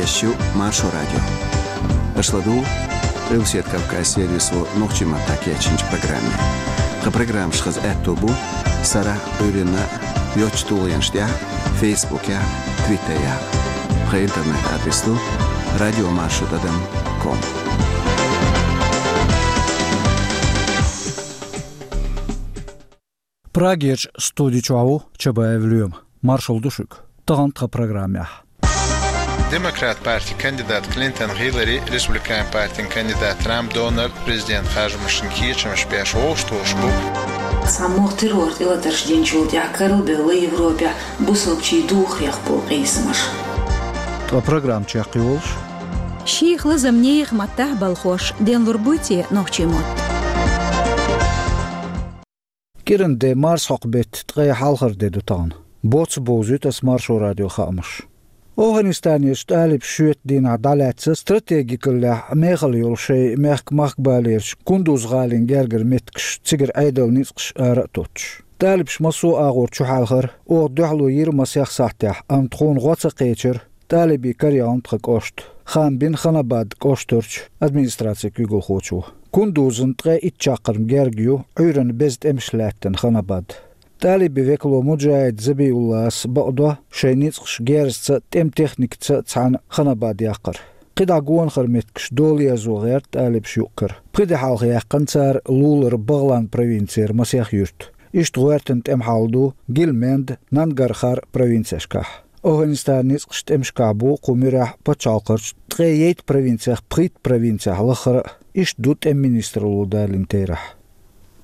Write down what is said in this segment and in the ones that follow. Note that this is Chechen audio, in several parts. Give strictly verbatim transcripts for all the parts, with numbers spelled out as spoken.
Шу Маршо радио. Аша ладугӀу Къилбаседа Кавказ сервисо нохчийн маттахь кечйинчу программе. Тхан программаш хаза аьтто бу сарахь а, Ӏуьйранна а йоцачу тулгӀенаш тӀехь а, Фейсбукехь а, Твиттерехь а. Тхан интернет-адрес ду радиомаршо тӀадам ком. Прагерчу студи чохь ву Чабаев Лоьма. Маршалла ду шуьга. Тахана тхан программехь. Демократ партин кандидат Клинтон Хиллари, республикан партин кандидат Трамп Дональд президент харжамашна кечамаш беш вовшахтоьхуш бу. Цхьаммо террор тӀелатарш динчул тӀаьхьа карла белла Европехь бусалбачийн духарех болу къийсамаш. Тхан программа чекхйолуш. Шех лазам нехан маттахь балхош денлур буй те нохчийн мотт? КӀиранде марсхьокху беттан ткъе хьалхара де ду тахана. Боцца бовзуьйту ас Маршо радион хаамаш. ОвхӀанистанерчу талибаша шоьтан дийнахь дӀалаьцна стратегикаллехь мехала йолу шайн мехкан махкабалерчу Кундуз-гӀалин гергара меттигаш, цигара Ӏедалан ницкъаш ара а тоттуш. Талибаша массо а агӀор чухьаьлхара, оха дуьхьало йира масех сахьтехь, амма тхуна гӀо ца кхечира талибийн караяхана тхан кӀошт, хаам бина Ханабад кӀоштарчу администрацин куьйгалхочо. Кундузна ткъе итт чаккхарма герга ю, Ӏуьйранна беза тӀемаш лаьттина Ханабад. Талибийн векало Муджахид Забиуллас бакъдо шайн ницкъаш герзаца а, тӀеман техникаца а цхьаьна Ханабад яккхар. КхидӀа гонахара меттигаш дола ерзо гӀерта талибаша юккъера. Пхи де хьалха яьккхина цара лулара БагӀлан провинцера масех юьрт. Иштта гӀоьртина тӀеман хьал ду Гильменд, Нангархар провинцешкахь. ОвхӀанистанан ницкъаш тӀемашкахь бу кху муьрехь пачхьалкхарчу ткъе ейтта провинцех пхийтта провинцехь лаххара а, иштта ду тӀеман министралло далийна терахь.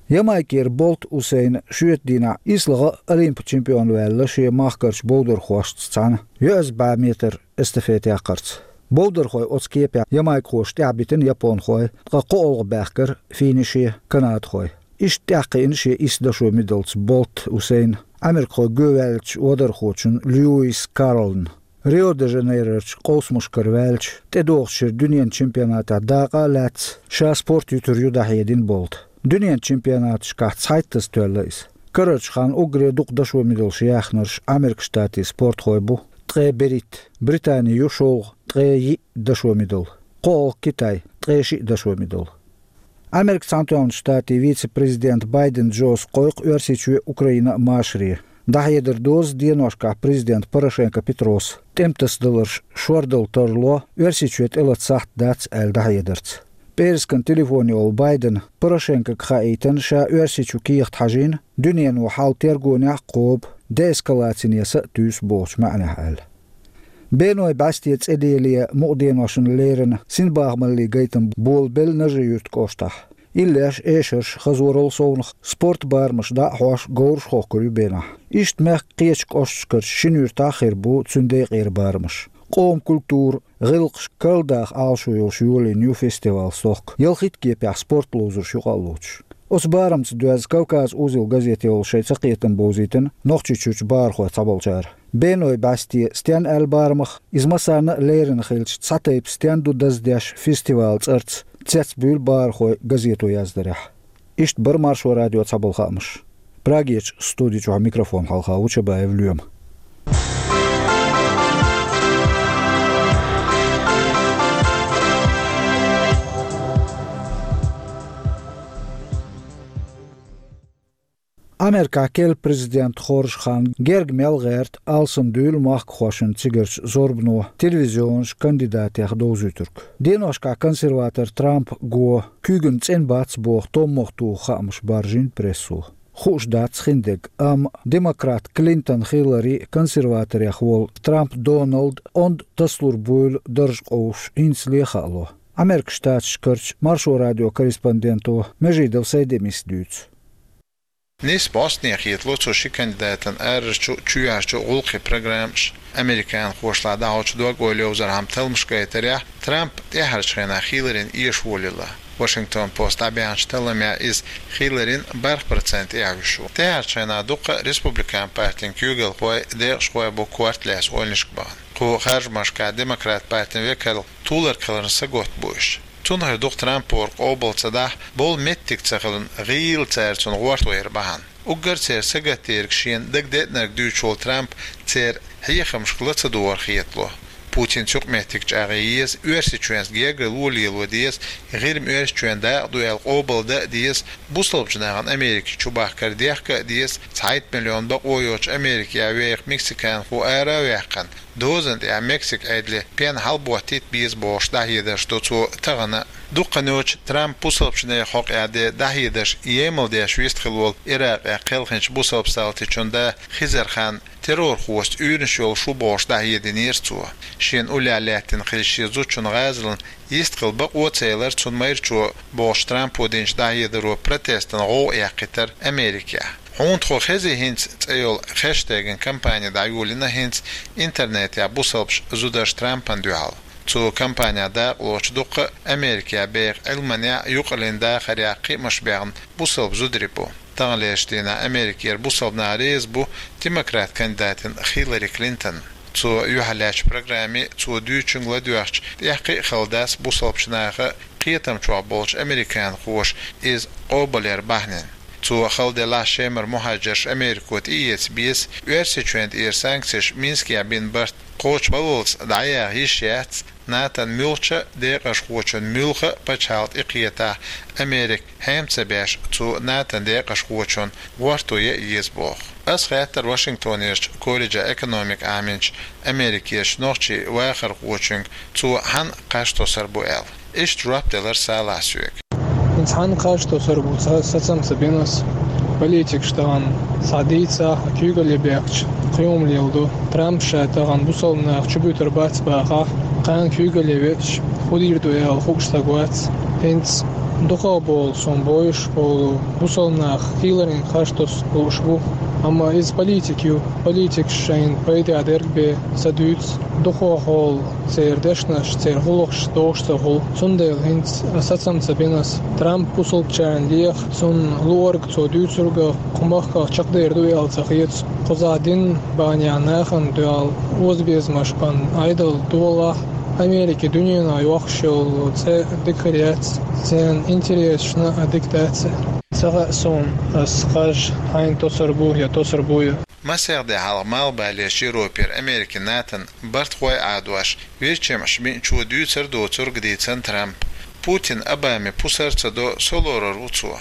Ямайкера Болт Усейна шоьтан дийнахь ислагӀа а Олимпан чемпион ваьлла шен махкарчу бовдархошца цхьаьна йоьазза бӀе метр эстафета яккхарца. Бовдархой оцу кепехь ямайкхоша тӀаьхьабитина японхой, ткъа кхоалгӀа баьхкира финише канадхой. Иштта тӀаьхьакхиъна шен исс дашо мидалца Болт Усейн америкхой гӀоьваьллачу вадархочун Льюис Карлна. Рио-де-Жанейрорчу къовсамашкара ваьлча, тӀедогӀучу шеран дуьненан чемпионатехь дакъа а лаьцна, ша спорт юьтур ю дӀахьедина Болта. Дуьненан чемпионаташкахь цхьайттаза тоьлла иза. Карарчу ханна уггаре дукха дашо мидалш яьхнарш Американ Штатийн спортхой бу, ткъе берхӀитта, Британи ю шолгӀа, ткъе йиъ дашо мидал. КхоалгӀа Китай, ткъе шиъ дашо мидал. Американ Цхьаьнатоьхначу Штатийн вице-президент Байден Джос кхойкху Оьрсийчоь а, Украина а машаре. ДӀахьедар доза деношкахь президент Порошенко Петроса тӀеман тасадаларш шордала тарло, Оьрсийчоь тӀелата сахьт дац аьлла дӀахьедарца. ПӀераскан телефоне волу Байдена Порошенкога хаийтина, ша Оьрсийчу кехат хьажийна, дуьнено хьал тергонехь а кхобу, деэскалацине са а туьйсу бохучу маьӀнехь аьлла. Беной бӀаьсте цӀе деле мукъа деношна леррина синбахамаллин гайтам болабелла Нажи-Юьртан кӀоштахь. Иллеш, эшарш, хазорал совнаха спорт барамаш дӀа а хьош, говраш хохкур ю бенахь. Иштта мехкан кхечу кӀошташкарчу шина юьртахь а хир бу цуьнан декъера барамаш. Къоман культура, гӀиллакхаш карладаха Ӏалашо йолуш йолийна ю фестивал стохка, ялхитта кепехь спорт ловзарш юкъа а лоцуш. Оцу барамца доьзна Кавказ узел газете волу шайн цакхетам бовзийтина Нохчийчуьрчу бахархойх цхьаболчара. Беной бӀаьсте стенна аьлла барамах, иза массарна а леррина хилча, цхьа тайпа стенна ду даздеш фестивалан цӀарца, цецбуьйлу бахархой газето яздарехь. Иштта бара Маршо радион цхьаболу хаамаш. Прагерчу студи чохь микрофон хьалха ву Чабаев Лоьма. Американ керла президент хоржу хан герга мел гӀерта алсам дуьйла махкахошна цигарчу зорбано телевизионаш кандидатех довзуьйтург. Деношкахь консерватор Трамп го куьйгана цӀена бац боху томмах туху хаамаш баржийна прессо. Хууш дац хиндерг, амма демократ Клинтон Хиллари, консерваторех волу Трамп Доналд онда тасалур буйла дарж къовсуш хӀинцале а хаало. Американ Штаташкарчу Маршо радион корреспонденто Межидов Сайдемис дуьйцу. Нисса бӀостанехьа хетало цу ши кандидатан арарчу а, чоьхьарчу а гӀуллакхийн программаш. Американхошлахь дӀахьочу дог-ойла йовзархьама талламаш гайтарехь, Трамп тӀаьхьарчу хенахь Хилларина эшаволийла. Вашингтон Пост дӀабаьхьначу талламехь иза Хилларина бархӀ процент тӀехь вуьсуш ву. ТӀаьхьарчу хенахь дуккха а республикан партин куьйгалхой, декъашхой бу корта лаьцна ойланашка бахана. Кху харжамашкахь демократ партин векал туларг хиларна сагатта бу уьш. Цунах дукха Трампо къобал ца дахь, болу меттиг ца хиларна гӀийла цара цунна гӀортор бахьана. Уггар церан сагатдерг шена дагадеънарг дуьйцуш волу Трамп церан хьехамашка ла ца догӀура хетало. Путинца юкъаметтиг чӀагӀъе еза, Оьрсийчоьнца гергарло лело деза, ГӀирма Оьрсийчоьнан дакъа ду аьлла къобалдан а деза, бусалбачу нахана Америка чубахкар дехка а деза, цхьайтта миллион бакъо йоцуш Америкехь веха мексиканхо ара а ваьккхина, дозанна тӀехь Мексика Ӏедале пен хьалаботтийта беза бохуш дӀахьедарш до цо тахана а. Дукха хан йоцуш Трампа бусалбачу нехан хьокъехь ден дӀахьедарш емал деш вистхила волу Иракъехь кхелхинчу бусалба салтичун да Хизархан террорхошца уьйраш йолуш ву бохуш дӀахьединера цо. Шена уллехь лаьттина хилла шен зудчун гӀазалан йистхила бакъо а ца елара цунна майрачо бохуш Трампо динчу дӀахьедаро протестан гӀовгӀа эккхийтира Америкехь. Хьуна тхо хези хӀинца цӀе йолу хештеган кампани дӀайолийна хӀинца интернетехь бусалбаш зударш Трампана дуьхьал. Цу кампанехь дакъалоцуш дуккха а Америкехь беха Ӏилманехь а, юкъараллин дахарехь а кхиамаш баьхна бусалба зударий бу. Таханлерчу дийнахь Америкера бусалба нах реза бу демократ кандидатина Хиллари Клинтон. Цо юьхьарлаьцначу программе цо дуьйцучуьнга ладоьгӀча, тӀех кхин а хала дац бусалбачу наха кхетам чохь болчу американхоша иза къобалъяр бахьанина. Цо хала делахь, Шемара мухӀажарш Америко тӀеэца беза, Оьрсийчоьнна тӀера санкцеш Минскехь бина барт кхочушбаллалц дӀаяха йиш яц, НАТОн муьлххачу декъашхочун муьлхха а пачхьалкх тӀекхетахь, Америка хьем ца беш, цу НАТОн декъашхочун гӀорто ян еза боху. Ас хаьттира Вашингтонерчу колледжехь экономика Ӏаминчу Америкерчу нохчийн вахархочуьнга, цо хьанна кхаж тосур бу аьлла. Иштта жоп делира Салахьа соьга. ХӀинца хьанна кхаж тосур бу, ца, сацам ца бина ас. Политикаш тахана схьа дийцахь а, куьйгалле бехкачу кхин хӀума леладо. Трампа ша тахана бусалба нах чубуьйтур бац бахахь, кхана куьйгалле веача, хӀун дийр ду аьлла хууш стаг вац. ХӀинца дукхах болу, суна бовзуш болу, бусалба нах Хилларина кхаж тосуш лууш бу. Амма иза политик ю, политикаш шайна пайдехь дерг бен ца дуьйцу. Дукхах болу церан дешнаш, церан гӀуллакхаш догӀуш ца хуьлу. Цундела хӀинца сацам ца бина ас. Трамп бусалбачарна леха, цунна луург, цо дуьйцург а кху махках чекхдер ду аьлла ца хета. Кхузахь динан бахьанехь нахана дуьхьал озабезамаш бан Ӏедал долахь, Америка дуьненахь йоккхуш йолу цӀе дика хир яц, церан интересашна а дика дац. Ца хаьа суна, ас кхаж хьайна тосур бу я тосур бу я. Масех де хьалха Малхбалерчу Европера Америкин НАТОн бартахой Ӏадош, вирчемаш биъначо дуьйцур доцург дийцина Трампа. Путин Обаме пусар ца до, со лорур ву цо.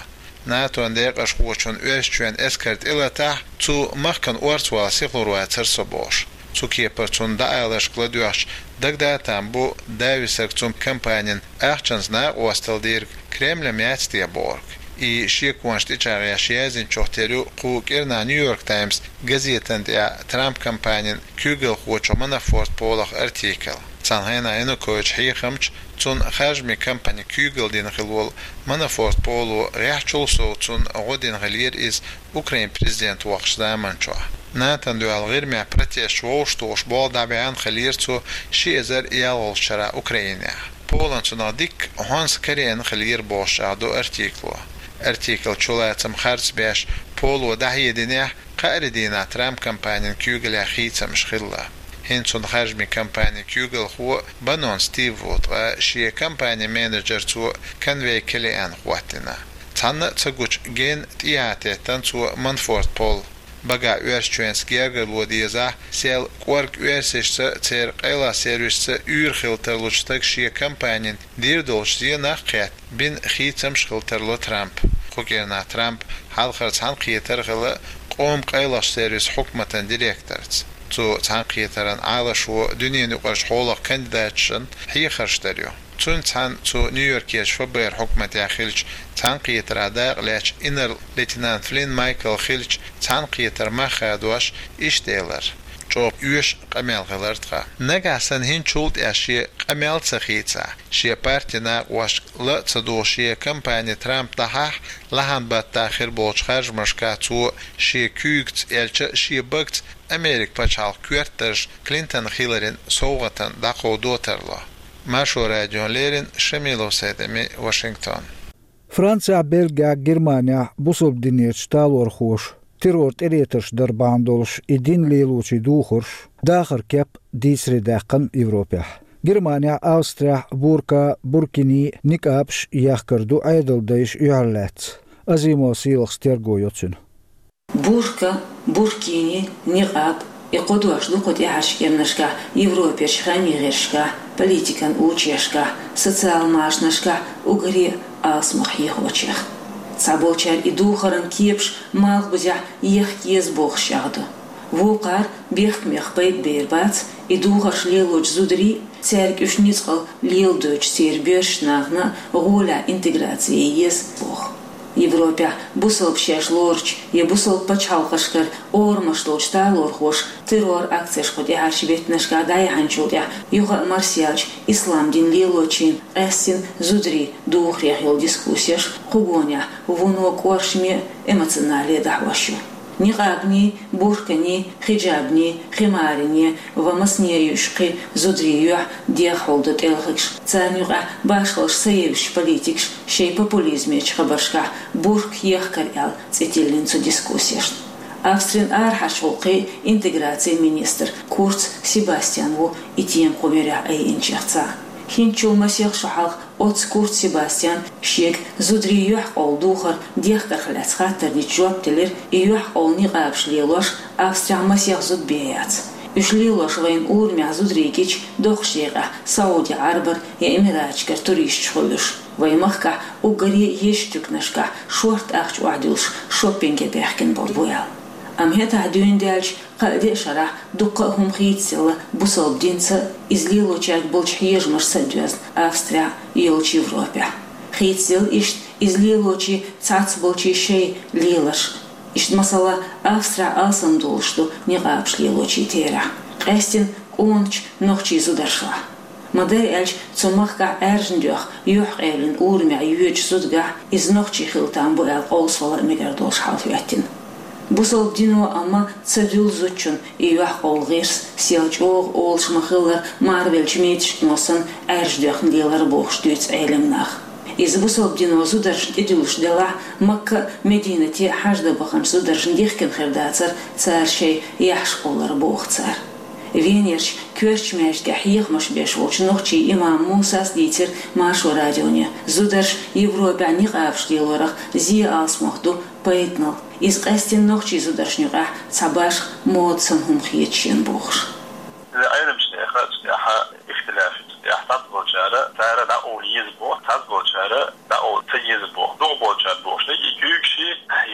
НАТОн декъашхочун Оьрсийчоьнан эскар тӀелатахь, цу махкана орцавала сихлур вацара со бохуш. Цу кепара цунна дӀааларшка ладоьгӀча, дагадатам бу, дависарг цунна кампанин ахчанца накъосталла дийриг Кремлем яц те бохург. И шеконаш тӀечӀагӀъеш яздинчух тера ю кху кӀирнахь Нью-Йорк Таймс газетан тӀехь Трамп кампанин куьйгалхочух Манафорт Полах артикл. Цхьана хенахь Янукович хьехамча, цунна харжамийн кампани куьйгалла дина хилла волу Манафорт Поло гӀеххьачул сов цунна гӀо дина хиллера иза Украин президент воккхучу заманчохь. НАТОн дуьхьал ГӀирмехь протесташ вовшахтухуш болх дӀабаьхьна хиллера цо ши эзар ялхалгӀачу шарахь Украинехь. Полан цунах дикка хьонса карийна хиллера бохуш чӀагӀдо артикло. Артикл чулацам харц беш Поло дӀахьединехь, кхаарин дийнахь Трамп кампанин куьйгаллехь хийцамаш хилла. ХӀинца цунна харжамийн кампанин куьйгалхо Баннон Стив ву, ткъа шен кампанин менеджер цо Конвей Келлиан хӀоттийна. Цхьанна а ца гучу генна тӀехьа теттина цо Манафорт Пол. Багахь Оьрсийчоьнца гергарло дезахь, сел кӀорга оьрсашца, церан къайлахчу сервисашца уьйр хила тарлучу стага шен кампанин дийр долчу зенах а кхетта, бина хийцамаш хила тарло Трампа. Кху кӀирнахь Трамп хьалхара цхьаьнакхетар хилла къоман къайлахчу сервисан хьукматан директорца. Цу цхьаьнакхетаран Ӏалашо дуьненан юкъарчу хьолах кандидаташна хьехарш дар ю. Цуьнца цхьаьна цу Нью-Йоркерчу ФБР хьукматехь хиллачу цхьаьнакхетаран дакъа лаьцначу инарла-лейтенант Флинн Майкла хиллачу цхьаьнакхетар мах хадош иштта элира: «ЧӀогӀа оьшу къамел хилира тхан. Нагахь санна хӀинцачул тӀаьхьа шен къамел ца хийцахь, шен партин накъосташка ла а ца духуш, шен кампани Трамп дӀахьахь, лахьан баттахь хир болчу харжамашкахь цо шен куьйгаца, аьлча а шен багца Америкин пачхьалкх коьртдарш Клинтон Хилларина совгӀатана дӀакховдо тарло». Маршо радиона леррина Шамилов Сайд-Эми, Вашингтон. Францехь, Бельгехь, Германехь бусалба динерчу талорхоша террор тӀелетарш дар бахьана долуш и дин лелочийн духарш, дахаран кеп дийцаре даьккхина Европехь. Германехь, Австрехь бурка, буркини, никъабаш яхкар ду Ӏедалдайша юьхьарлаьцна. Азимов Сийлахьас терго йо цуьнан. Бурка, буркини, никъаб, И кхо дош ду кху тӀаьхьарчу кӀирнашкахь Европерчу хаамийн гӀирсашкахь, политикан учреждешкахь, социал машанашкахь уггаре а алсамох хьехочех. Цхьаболчара и духаран кепаш малхбузехь ехка еза бохуш чӀагӀдо. Вукхара бехкамех пайда бер бац, и духарш лелочу зударий, цаьрга уьш ницкъала леладойтучу церан боьршачу нахана гӀолехь интеграци ян еза боху. Европехь бусалба шаьш лоручу я бусалба пачхьалкхашкара орамаш долчу талорхоша террор-акцеш кху тӀаьхьарчу беттанашкахь дӀаяьхьначул тӀаьхьа юха а марсаьллачу ислам дин лелочийн къаьсттина зударийн духарех йолу дискуссеш кху гонехь вуно кӀоршаме а, эмоционале а дӀахьош ю. Никъабний, бурканий, хиджабний, химариний ва масане а юьйш кхин зударийн юьхь дегӀ хьулдо тӀелхигаш, царна юкъахь башхаллаш ца евзачу политикаша шайн популизмечу хабаршкахь бурка ехкар аьлла цӀе тиллина цу дискуссешна. Австрин арахьарчу гӀуллакхийн, интеграцин министр Курц Себастьян ву и тема кху муьрехь айинчех цхьаъ. ХӀинцачул масех шо хьалха оццу Курц Себастьяна шега зударийн юьхькъовла духар дехкарх лаьцна хаттар дича жоп делира, и юьхькъовла никъабаш лелош Австрехь масех зуда бен яц. Уьш лелош вайна урамехь зударий гича, доккхачу декъехь Сауди Ӏарбара я Эмираташкара туристаш хуьлу уьш. Вайн махкахь уггаре а езачу туьканашкахь шортта ахча охьадуьллуш шоппинге баьхкина болу бу аьлла. Амма хӀетахь дуьйна даьлча, кхаа деа шарахь дуккха а хӀума хийцаделла бусалба динца а, иза лелочаьрга болчу хьежамашца а доьзна Австрехь а, йолчу Европехь а. Хийцаделла иштта иза лелочийн цхьацболчийн шайн леларш а. Иштта, масала, Австрехь алсам долуш ду никъабаш лелочийн терахь, къаьсттина къоначу нохчийн зударшлахь. Ма-дарра аьлча, цу махкахь Ӏаьржина доьхна юьхькъевлина урамехь йоьдучу зудагахь иза нохчи хила там бу аьлла къовсавала а мегар долуш хьал хӀоьттина. Бусалба дино амма ца дуьллу зудчунна и юьхькъовла гӀирс, сел чӀогӀа олуш ма-хиллара, марвеллачу мецашкано санна Ӏаьржа доьхна лелар бохуш дуьйцу Ӏелам наха. Иза бусалба дино зударшна тӀедуьллуш делахь, Макка а, Мединате а хьаж дан баханчу зударшна дихкина хир дацара цара шайн яхьаш кхоллар, боху цара. Венерчу коьртачу маьждигехь хьехамаш беш волчу нохчийн имам Мусас дийцира Маршо радионе, зударша Европехь никъабаш лелорах зен алсамох ду пайданал. Иза къаьсттина нохчийн зударшна юкъахь цхьа башха мода санна хӀума хета шена бохуш. Иза Ӏеламчу нехан цу тӀехь ихтилаф ю, цу тӀехь цхьаболчара цара дӀакъовла еза боху, цхьаболчара дӀакъовла ца еза боху, дукхахболчара бохуш дерг и куьйгаши,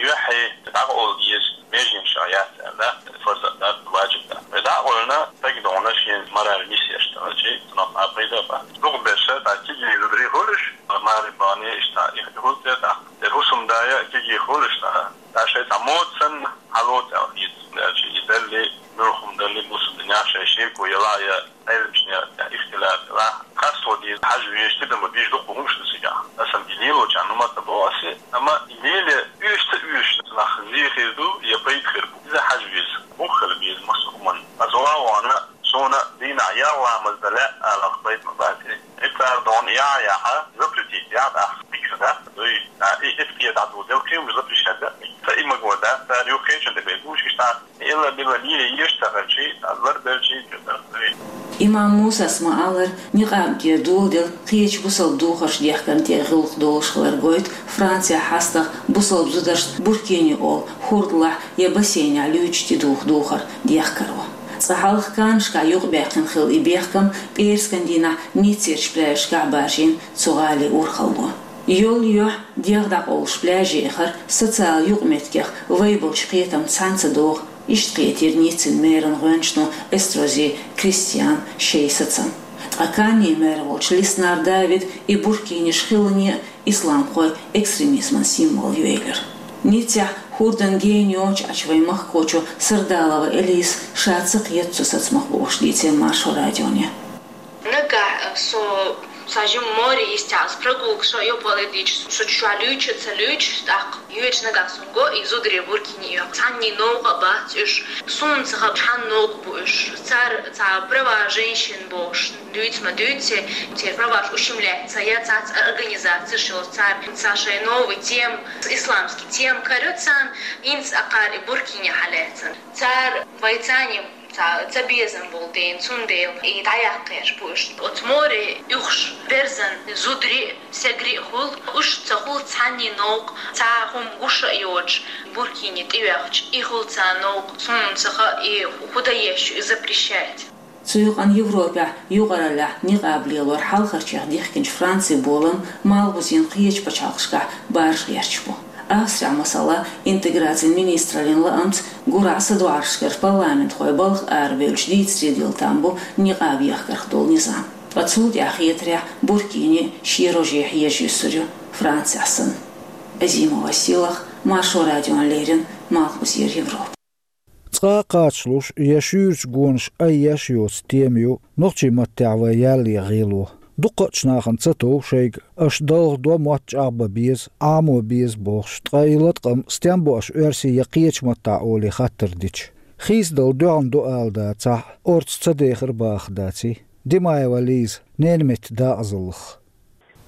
юьхьи дӀакъовла еза меженашкахь яц аьлла, фарз а дац, важиб а дац. Вай дӀакъевлина, стаг догӀна шен мораль нисъеш ца хилчи, цунах а пайда а бац. Дукхахберш цхьа кегий зударий хуьлуш, маре бахьане иштта их хӀума тӀе тӀаккха. Дера хӀусамдайа кегий хуьлуш цхьа, цхьа шайн цхьа мода санна хьалоцу аьлла хета, аьлча и далли, муьлха хӀума далли, бусалба динехь шайн шеко ялахь я Ӏеламчу нехан тӀехь ихтилаф делахь, къасто деза хьажа везаш, тидам бан безаш дуккха хӀумаш ду цигахь. Аса и лелочарна хӀума ца боху аса, амма и лело оьшуш ца оьшуш нах зе хир ду я пайда хир бу. Иза хьажа веза, бухахь хила беза массо а хӀуманна. Аса ван а вахана, суна дийнахь ялх ламаз дан лаьа аларх пайда ма бац. И цара догӀна яхьа яхьа, запретить яхьа, ахь пикр дац, дуй, а, и, и кхета дӀадоладелла, кхин хӀумаш запрещать дац. Ца и магор дац, цара юххечун тӀе бен гуш, иштта Илла-билла лело езаш ца хилчи, ларбелчи, чу ца хилчи. Имам Мусас ма-аллара, никъаб дер доладелла кхечу бусалба духарш дехкарна тӀе гӀуллакх долуш хилар гойту Францехь хьастагӀа бусалба зударшна буркини олу хӀордалахь я бассейнехь луьйчу тӀедуху духар дехкаро. Цкъа хьалха Каннашкахь юкъабаьккхина хилла и бехкам, пӀераскан дийнахь Ниццерчу пляжашкахь баржийна цу гӀалин урхалло. Йолу юьхь дегӀ дӀакъовлуш пляже яхар социал юкъаметтигех вай болчу кхетам цхьаьна ца догӀу, иштта кхетийра Ниццин мэран гӀоьнчано Эстрози Кристиана шайн сацам. Ткъа Каннин мэр волчу Лиснар Давида и буркиниш хиларна а исламхойн экстремизман символ ю элира. Ниццехь хӀордан гена йоцуш Ӏачу вайн махкахочо Сардалова Элиса ша ца кхета цу сацамах бохуш дийцира Маршо радионе. Нагахь, э, со, со жим море йистехь, ас прогулка шо йопале дича, со чохь луьйча а ца луьйча, тӀаккха йоьдуш нагахь сон го, и зударий буркини йохку. Цхьанний новкъа а бац уьш. Суна ца хаьа, хьанна новкъа бу уьш. Цара цхьа права женщин бохуш дуьйцу ма дуьйцу, церан праваш ущемляться яц, цхьацца организацеш йолу, цара цхьа шайн новый тема, исламский тема каро царна, хӀинца акхара и буркини хьалаьцна. Цара вай царний Цхьа ца безам болу ден, цундела и дӀаяккха гӀерташ бу уьш. Оцу море уьхуш берзан зударий а, сагарий а хуьлу, уьш ца хуьлу цхьанний новкъа, цхьа хӀума гуш а йоцуш, буркине тӀеоьхча, и хуьлу царна новкъа, суна ца хаьа, и хӀун дан еза ю, и запрещать. Цу юкъана Европехь юкъараллехь никъаб лелор хьалхарчех дихкинчу Францин болам малхбузийн кхечу пачхьалкхашкахь баржа гӀерташ бу. Австрехь, масала, интеграцин министраллин лаамца гурахь садоӀаршкара парламентхой балха арабевлча дийцаре дилла там бу никъаб ехкарх долу низам. Ткъа цул тӀаьхьа хетарехь, буркине шен роже хьежа юьсур ю, Францехь санна. Азимова Силах, Маршо радиона леррина, Малхбузера Европа. Цкъа а кхачалуш я шуьйрачу гонаш айъеш йоцу тема ю нохчийн маттехь вайн ялле гӀело. Дуккхачу нахана ца тов шайга аша далха до, мотт чӀагӀбан беза, Ӏамо беза бохуш, ткъа и латкъам стен бу аша оьрсийн я кхечу маттахь олий хаттар дича. Хийцадала доьгӀна ду ала дацахь, орца ца дехар бахах даций? Димаева Лиза, ненан меттан дакъазаллах.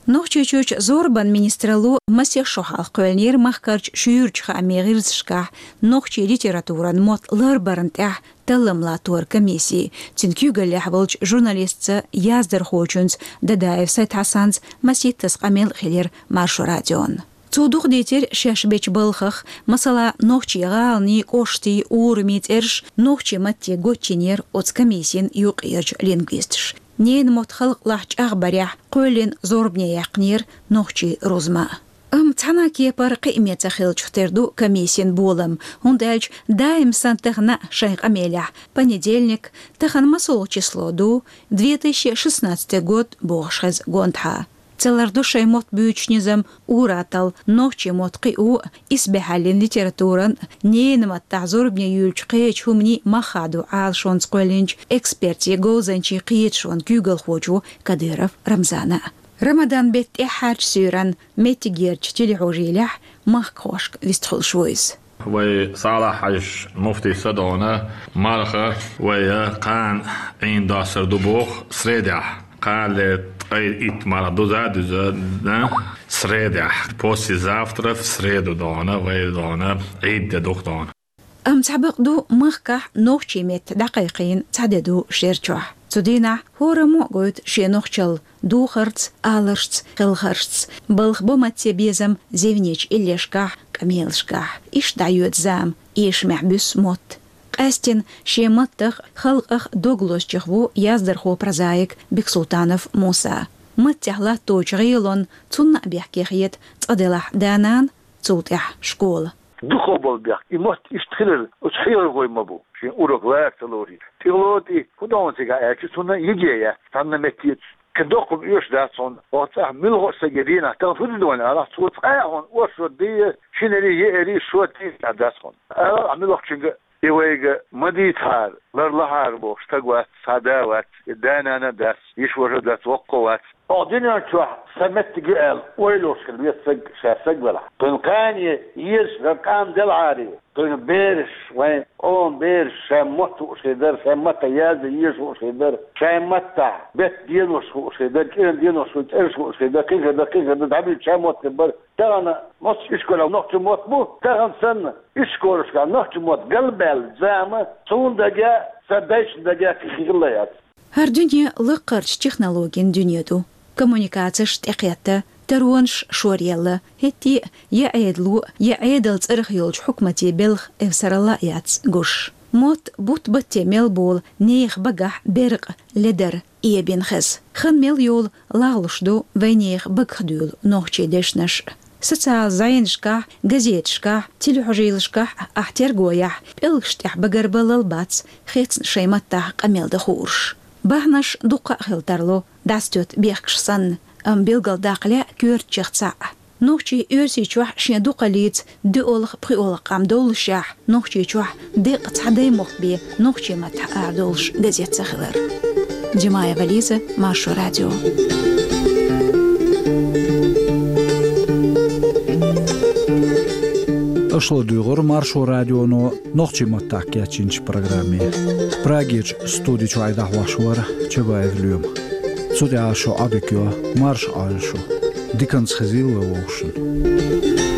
Нохчийчуьрчу зорбан министралло масех шо хьалха кхоьллинера махкарчу шуьйрачу хаамийн гӀирсашкахь нохчийн литературан мотт ларбарна тӀехь таллам латтор комисси. Цуьнан куьйгаллехь волчу журналистца, яздархочуьнца Дадаев Сайд-Хьасанца масийттаза къамел а хилира Маршо радион. Цо дукха дийцира шаьш бечу балхах, масала, нохчийн гӀаланийн, кӀоштийн, урамийн цӀераш нохчийн матте гочйинера оцу комиссин юккъерчу лингвисташа. Ненан мотт халкъалахь чӀагӀбарехь кхоьллина зорбане яьккхинера нохчийн рузма. Амма цхьана а кепара кхиаме ца хиллачух тера ду комиссин болам, хӀунда аьлча даим санна тахана а шайн къамелехь понедельник, тахана масолгӀа число ду, две тысячи шестнадцатый год бохуш хеза гонаха. Ца лардо шайн мотт буьйцучу низам ур-атталла, нохчийн мотт кхио а, исбаьхьаллин литературан, ненан маттахь зорбане юьйлучу кхечу хӀуманийн мах хадо Ӏалашонца кхоьллинчу экспертийн, говзанчийн кхеташонан куьйгалхочо Кадыров Рамзана. Рамадан беттан тӀаьххьарчу суьйранна меттигерчу телехьожийлехь махкахошка вистхуьлуш ву иза. Вай Салахь-Хьаьжас муфтий ца догӀна, марха вай кхана Ӏийна доссар ду боху средехь. Кхана ле ткъе итт марха дуза а дуьзна, средехь, послезавтра в среду догӀна, вай догӀна, Ӏийда де ду-кх догӀна. Амма цхьа бакъ ду, махкахь нохчийн меттан дӀакхайкхийна цхьа де ду шер чохь. Цу дийнахь хӀораммо а гойту шен нохчалла духарца, аларшца, хелхаршца, балха бо матте безам зевнечу иллешкахь, къамелашкахь. Иштта дӀайоьду зама, эшамехь буьссу мотт. Къаьстина шен маттах а, халкъах а дог лозучех ву яздархо-прозаик Бексултанов Муса. Маттехь латточу гӀелонна цунна а бехке хета цкъа делахь да-нана, цул тӀаьхьа школа. Дукхах болу бехк, и мотт иштта хилар оцу хьехархойн ма бу, шен урок лара ца лорийта. ТӀехула тӀе хӀун ду хьуна цигахь аьлча, цунна йиге яц, цхьанна метте. Кхин доккха хӀума оьшуш дац хьуна, оха цӀахь муьлхха а стаге дийнахь, тахана хӀун ду хьуна алахь, цо цкъа а хьуна оршот дийа, шинарий, еарий, шот дийа дац хьуна. Ала ахь муьлххачуьнга, и вайга ма дийцахьара, ларлахьара бохуш стаг вац, цхьа да вац, и да-нана а дац, йиша-ваша а дац, воккха а вац. Оха дуьнен чохь сан меттиг ю аьлла ойла йолуш хила веза стаг, ша стаг велахь. Кхуьнан кхане езаш дан къам делахьара, кхуьнан бераш, вайн къоман бераш шайн мотт хууш хир дара, шайн маттахь яздан езаш хууш хир дара, шайн маттахь беттан денош хууш хир дара, кӀиран денош хууш, цӀераш хууш хир дара, кхин хир дара, кхин хир дара, дӀабуьйцуш шайн мотт хир бара. Тахана массо а ишколехь нохчийн мотт бу, тахана санна ишколашкахь нохчийн мотт галбаьлла зама, суна дагахь, сан дайшна дагахь кхин хилла яц. ХӀара дуьне лаккхарчу технологийн дуьне ду. Коммуникацеш тӀекхетта, таронаш шоръелла, хӀетте а я Ӏедало, я Ӏедалан цӀарах йолчу хьукматийн белхан эвсаралла а яц гуш. Мотт бутт-батте мел болу нехан багахь беркъа, ледар эбина хеза. Хан мел йолу лагӀлуш ду вайнехан багах дуьйлу нохчийн дешнаш. Социал зӀенашкахь, газеташкахь, телехьожийлашкахь ахь тергояхь, пӀелгаш тӀехь багарбаллал бац, хецна шайн маттахь къамел дан хууш. Бахьанаш дуккха а хила тарло, дӀасатоьтту бехкаш санна, амма билгалдаккха лаьа коьртачех цхьаъ. Нохчийн Оьрсийчохь шен дукхаллица доьалгӀа-пхоьалгӀа къам доллушехь, Нохчийчохь деккъа цхьа даймохк бен нохчийн маттахь арадолуш газет ца хилар. Димаева Лиза, Маршо радио. Аша ладуьйгӀура Маршо радионо нохчийн маттахь кечйинчу программе. Прагерчу студи чуьра дӀахьош вара Чабаев Лоьма. Цу тӀехь шун Ӏадика йо, марша Ӏойла шу. Диканца хезийла вай вовшашна.